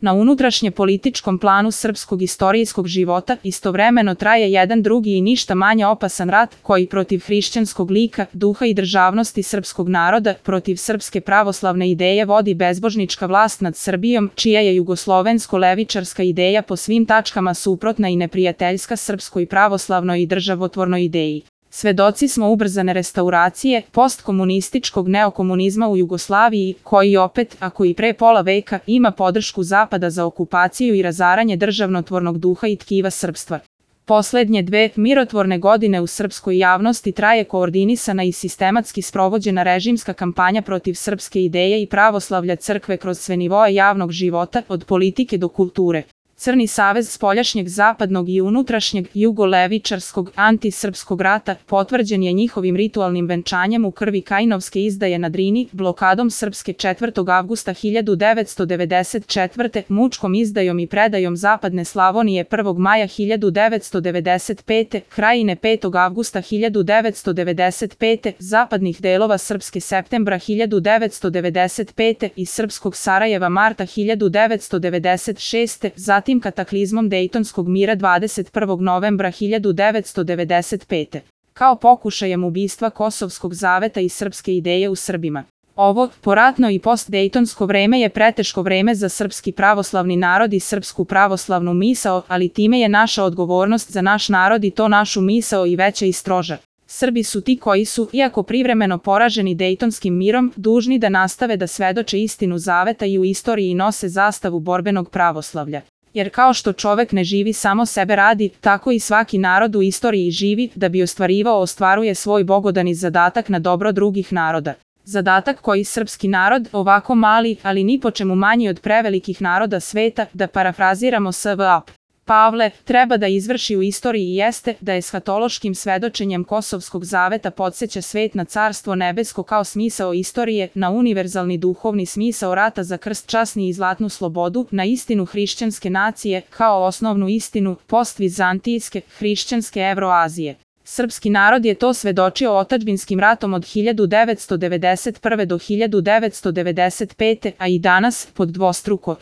Na unutrašnje političkom planu srpskog istorijskog života istovremeno traje jedan drugi i ništa manje opasan rat koji protiv hrišćanskog lika, duha i državnosti srpskog naroda, protiv srpske pravoslavne ideje vodi bezbožnička vlast nad Srbijom, čija je jugoslovensko-levičarska ideja po svim tačkama suprotna i neprijateljska srpskoj pravoslavnoj i državotvornoj ideji. Svedoci smo ubrzane restauracije postkomunističkog neokomunizma u Jugoslaviji, koji opet, ako i pre pola veka, ima podršku Zapada za okupaciju i razaranje državnotvornog duha i tkiva srpstva. Poslednje dve mirotvorne godine u srpskoj javnosti traje koordinisana i sistematski sprovođena režimska kampanja protiv srpske ideje i pravoslavlja crkve kroz sve nivoe javnog života, od politike do kulture. Crni savez spoljašnjeg zapadnog i unutrašnjeg jugolevičarskog antisrpskog rata potvrđen je njihovim ritualnim venčanjem u krvi Kajnovske izdaje na Drini, blokadom Srpske 4. avgusta 1994. mučkom izdajom i predajom Zapadne Slavonije 1. maja 1995. Krajine 5. avgusta 1995. zapadnih delova Srpske septembra 1995. i Srpskog Sarajeva marta 1996. zatim kataklizmom Dejtonskog mira 21. novembra 1995. kao pokušajem ubistva Kosovskog zaveta i srpske ideje u Srbima. Ovo, poratno i postdejtonsko vreme je preteško vreme za srpski pravoslavni narod i srpsku pravoslavnu misao, ali time je naša odgovornost za naš narod i to našu misao i veća i stroža. Srbi su ti koji su, iako privremeno poraženi Dejtonskim mirom, dužni da nastave da svedoče istinu zaveta i u istoriji nose zastavu borbenog pravoslavlja. Jer kao što čovek ne živi samo sebe radi, tako i svaki narod u istoriji živi da bi ostvaruje svoj bogodani zadatak na dobro drugih naroda. Zadatak koji srpski narod, ovako mali, ali ni po čemu manji od prevelikih naroda sveta, da parafraziramo S.V.A. Pavle, treba da izvrši u istoriji jeste da eshatološkim svedočenjem Kosovskog zaveta podsjeća svet na Carstvo nebesko kao smisao istorije, na univerzalni duhovni smisao rata za krst časni i zlatnu slobodu, na istinu hrišćanske nacije kao osnovnu istinu postvizantijske, hrišćanske Evroazije. Srpski narod je to svedočio otadžbinskim ratom od 1991. do 1995. a i danas, pod dvostruko